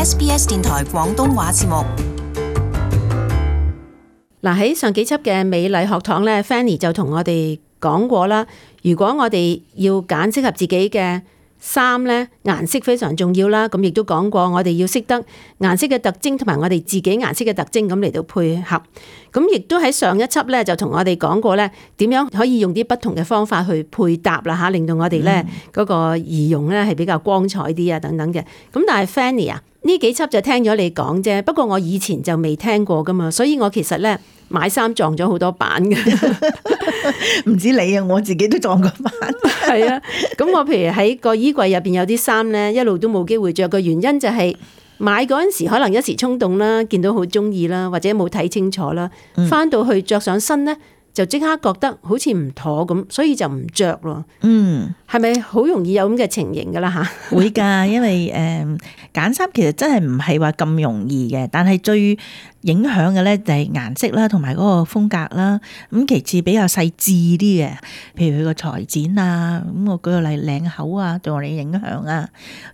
SBS 電台廣東話節目。嗱，喺上幾輯嘅美麗學堂咧 ，Fanny 就同我哋講過啦。如果我哋要揀適合自己嘅衫咧，顏色非常重要啦。咁亦都講過，我哋要識得顏色嘅特徵同埋我哋自己顏色嘅特徵咁嚟到配合。咁亦都喺上一輯咧就同我哋講過咧，點樣可以用啲不同嘅方法去配搭啦嚇，令到我哋咧嗰個儀容咧係比較光彩啲啊等等嘅。咁但係 Fanny 啊，呢幾輯就聽咗你講啫，不過我以前就未聽過噶嘛，所以我其實咧買衫撞咗好多板嘅。唔止你啊，我自己都撞過板。係啊，咁我譬如喺個衣櫃入邊有啲衫咧，一路都冇機會着嘅原因就係買嗰陣時可能一時衝動啦，見到好中意啦，或者冇睇清楚啦，翻到去着上身咧就即刻覺得好似唔妥咁，所以就唔着咯。係咪好容易有咁嘅情形噶啦吓？會㗎，因為揀衫其實真係唔係話咁容易嘅，但係最影響嘅咧就係顏色啦，同埋嗰個風格啦。咁其次比較細緻啲嘅，譬如佢個裁剪啊，咁我舉個例，領口啊，對我哋影響啊，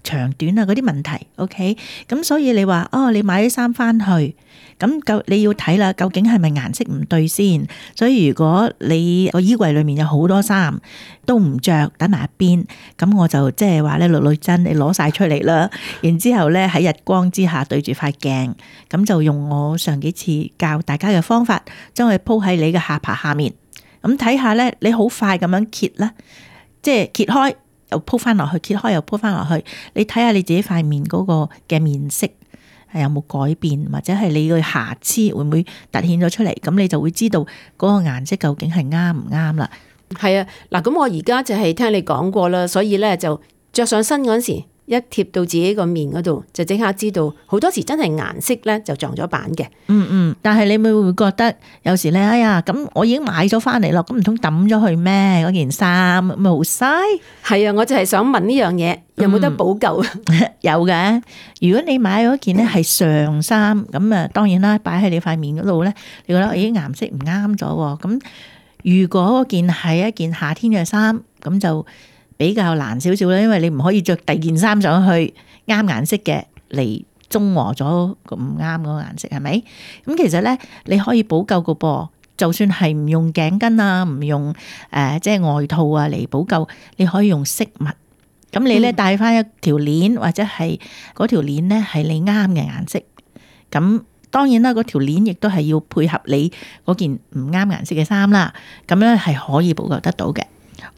長短啊嗰啲問題。OK，咁所以你話你買啲衫翻去，咁你要睇啦，究竟係咪顏色唔對先？所以如果你個衣櫃裏面有好多衫都唔着，等埋一邊，咁我就即係話咧，女真你攞晒出嚟啦，然之後咧喺日光之下對住塊鏡，咁就用我上幾次教大家嘅方法，將佢鋪喺你嘅下巴下面，咁睇下咧，你好快咁樣揭啦，即係揭開又鋪翻落去，揭開又鋪翻落去，你睇下你自己塊面嗰個嘅面色係有冇改變，或者係你嘅瑕疵會唔會凸顯咗出嚟，咁你就會知道嗰個顏色究竟係啱唔啱啦。係啊，嗱，咁我而家就係聽你講過啦，所以咧就着上身嗰陣時，一貼到自己個面嗰度，就即刻知道，好多時真係顏色咧就撞咗板嘅。但係你會覺得有時咧，哎呀，咁我已經買咗翻嚟咯，咁唔通抌咗去咩？嗰件衫咪好嘥？係啊，我就係想問呢樣嘢，有冇得補救？有嘅，如果你買嗰件咧係上衫，咁啊，當然啦，擺喺你塊面嗰度咧，你覺得咦顏色唔啱咗，咁如果嗰件係一件夏天嘅衫，咁就比較難少少啦，因為你唔可以着第二件衫上去啱顏色嘅嚟中和咗個唔啱嗰個顏色，係咪？咁其實咧你可以補救個噃，就算係唔用頸巾啊，唔用即係外套啊嚟補救，你可以用飾物。咁你咧帶翻一條鏈，或者係嗰條鏈咧係你啱嘅顏色。咁當然啦，嗰條鏈亦都係要配合你嗰件唔啱顏色嘅衫啦。咁咧係可以補救得到嘅。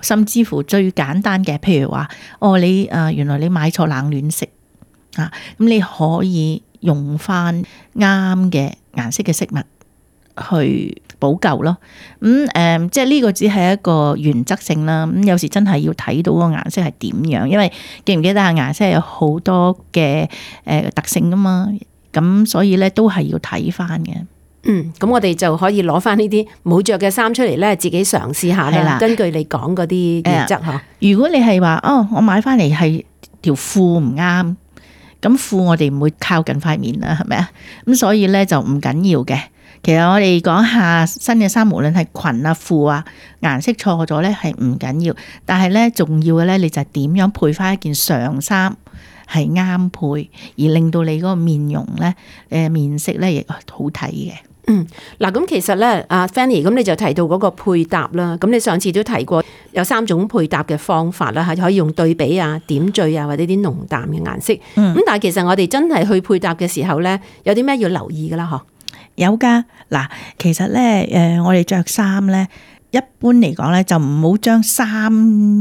甚至乎最簡單嘅，譬如話你原來你買錯冷暖色啊，咁你可以用翻啱嘅顏色嘅飾物去補救咯。即係呢個只係一個原則性啦。咁有時真係要睇到個顏色係點樣，因為記唔記得顏色有好多嘅特性噶嘛。咁所以咧都係要睇翻嘅。咁我哋就可以攞翻呢啲冇着嘅衫出嚟咧，自己嘗試下啦。根據你講嗰啲原則嗬。如果你係話我買翻嚟係條褲唔啱，咁褲我哋唔會靠近塊面啦，係咪啊？咁所以咧就唔緊要嘅。其實我哋講下新嘅衫，無論係裙啊褲啊，顏色錯咗咧係唔緊要，但係咧重要嘅咧，你就係點樣配翻一件上衫係啱配，而令到你嗰個面容咧面色咧亦好睇嘅。嗱，咁其實咧，阿 Fanny，咁你就提到嗰個配搭啦。咁你上次都提過有3種配搭嘅方法啦，係可以用對比啊、點綴啊，或者啲濃淡嘅顏色。咁但係其實我哋真係去配搭嘅時候咧，有啲咩要留意噶啦？嗬，有噶。嗱，其實咧，我哋着衫咧，一般嚟講咧，就唔好將3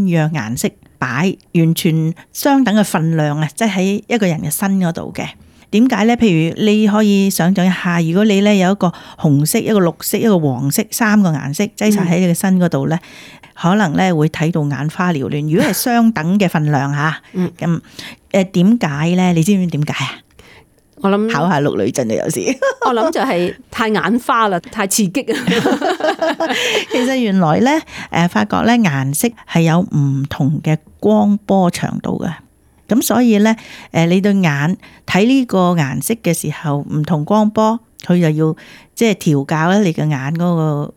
樣顏色擺完全相等嘅分量啊，即係喺一個人嘅身嗰度嘅。點解咧？譬如你可以想象一下，如果你咧有一個紅色、一個綠色、一個黃色3個顏色擠晒喺你嘅身嗰度咧，可能咧會睇到眼花繚亂。如果係相等嘅分量吓，咁點解咧？你知唔知點解啊？我諗考下陸女真係有時，我諗就係太眼花啦，太刺激啊！其實原來咧，發覺咧顏色係有唔同嘅光波長度嘅。咁所以咧，你對眼睇呢個顏色嘅時候，唔同光波，佢就要即係調校咧你嘅眼嗰個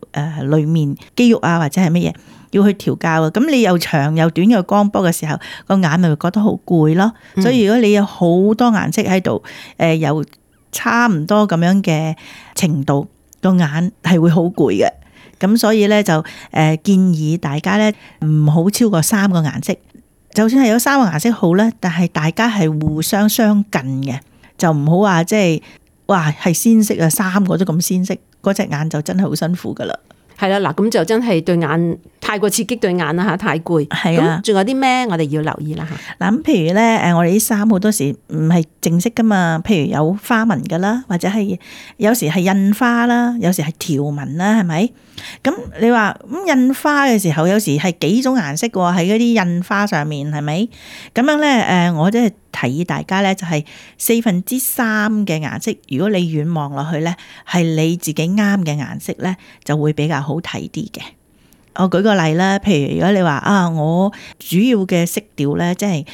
裏面肌肉啊，或者係乜嘢，要去調校嘅。咁你又長又短嘅光波嘅時候，個眼咪會覺得好攰咯。所以如果你有好多顏色喺度，由差唔多咁樣嘅程度，個眼係會好攰嘅。咁所以咧就建議大家咧唔好超過3個顏色。就算係有3個顏色好咧，但係大家係互相相近嘅，就唔好話即係哇係鮮色啊，3個都咁鮮色，嗰隻眼就真係好辛苦噶啦。係啦，嗱咁就真係對眼太過刺激對眼啦嚇，太攰。係啊，咁仲有啲咩我哋要留意啦嚇？嗱咁譬如咧我哋啲衫好多時唔係正式噶嘛，譬如有花紋噶啦，或者係有時係印花啦，有時係條紋啦，係咪？咁你話印花嘅時候，有時係幾種顏色喎，喺嗰啲印花上面係咪？咁樣咧我即係提議大家咧就係3/4嘅顏色，如果你遠望落去咧係你自己啱嘅顏色咧，就會比較好睇啲嘅。我舉個例啦，譬如如果你話我主要嘅色調咧，即係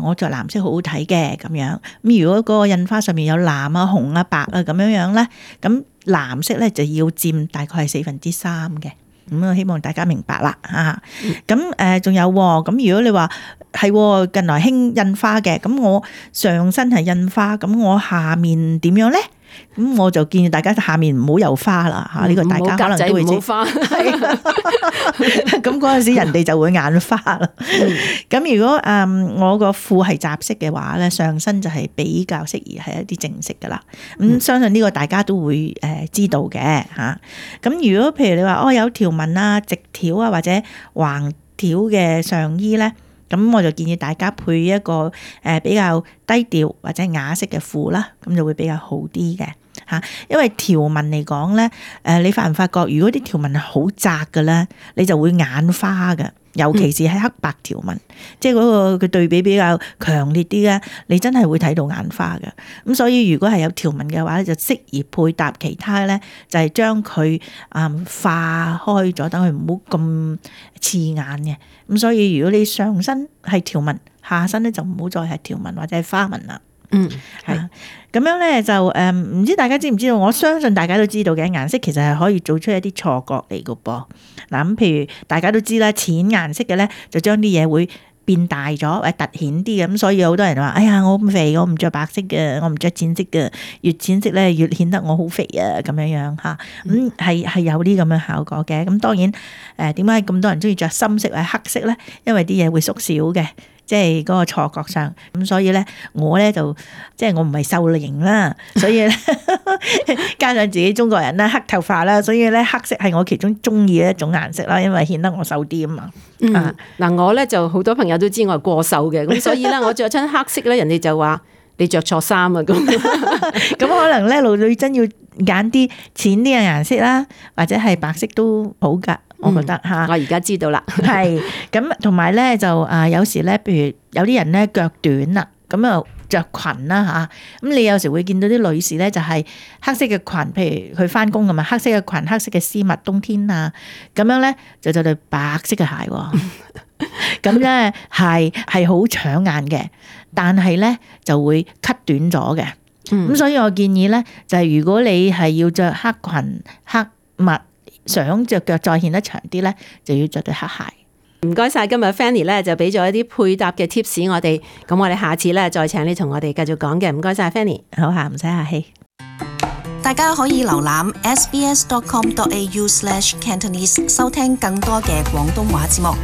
我着藍色好好睇嘅咁樣。咁如果嗰個印花上面有藍啊、紅啊、白啊咁樣咧，咁藍色咧就要佔大概係3/4嘅。咁我希望大家明白啦嚇。咁仲有喎，咁如果你話係近來興印花嘅，咁我上身係印花，咁我下面點樣咧？咁我就建議大家下面唔好有花啦嚇，呢個大家可能都會知。花係咁嗰陣時人哋就會眼花啦。咁如果我個褲係雜色嘅話咧，上身就係比較適宜係一啲正色噶啦。咁相信呢個大家都會知道嘅嚇。咁如果譬如你話有條紋啊、直條啊或者橫條嘅上衣咧，咁我就建議大家配一個比較低調或者雅色嘅褲啦，咁就會比較好啲嘅嚇。因為條紋嚟講咧，你發唔發覺？如果啲條紋係好窄嘅咧，你就會眼花嘅。尤其是係黑白條紋，即係嗰個嘅對比比較強烈啲咧，你真係會睇到眼花嘅。咁所以如果係有條紋嘅話咧，就適宜配搭其他咧，就係將佢化開咗，等佢唔好咁刺眼嘅。咁所以如果你上身係條紋，下身咧就唔好再係條紋或者係花紋啦。係咁樣咧就唔知大家知唔知道？我相信大家都知道嘅，顏色其實係可以做出一啲錯覺嚟嘅噃。嗱咁，譬如大家都知啦，淺顏色嘅咧就將啲嘢會變大咗或者凸顯啲嘅。咁所以有好多人話：哎呀，我咁肥，我唔着白色嘅，我唔着淺色嘅，越淺色咧越顯得我好肥啊！咁樣樣嚇，咁係有啲咁嘅效果嘅。咁當然點解咁多人中意着深色或者黑色咧？因為啲嘢會縮小嘅。即係嗰個錯覺上，咁所以咧，我咧就即係我唔係瘦型啦，所以咧加上自己中國人啦，黑頭髮啦，所以咧黑色係我其中中意嘅一種顏色啦，因為顯得我瘦啲啊嘛。嗱我咧就好多朋友都知我係過瘦嘅，咁所以咧我着親黑色咧，人哋就話你着錯衫啊咁。咁可能咧，女真要揀啲淺啲嘅顏色啦，或者係白色都好㗎。我覺得嚇，我而家知道啦。係咁，同埋咧就有時咧，譬如有啲人咧腳短啦，咁啊着裙啦嚇，咁你有時會見到啲女士咧就係黑色嘅裙，譬如佢翻工咁嘛，黑色嘅裙、黑色嘅絲襪，冬天啊咁樣咧就對白色嘅鞋喎，咁咧係好搶眼嘅，但係咧就會 cut 短咗嘅，咁所以我建議咧就係如果你係要着黑裙、黑襪。想着腳再顯得長啲咧，就要着對黑鞋。唔該晒，今日 Fanny 咧就俾咗一啲配搭嘅 tips 我哋，咁我哋下次咧再請你同我哋繼續講嘅。唔該晒 Fanny， 好嚇，唔使客氣。大家可以瀏覽 sbs.com.au/Cantonese 收聽更多嘅廣東話節目。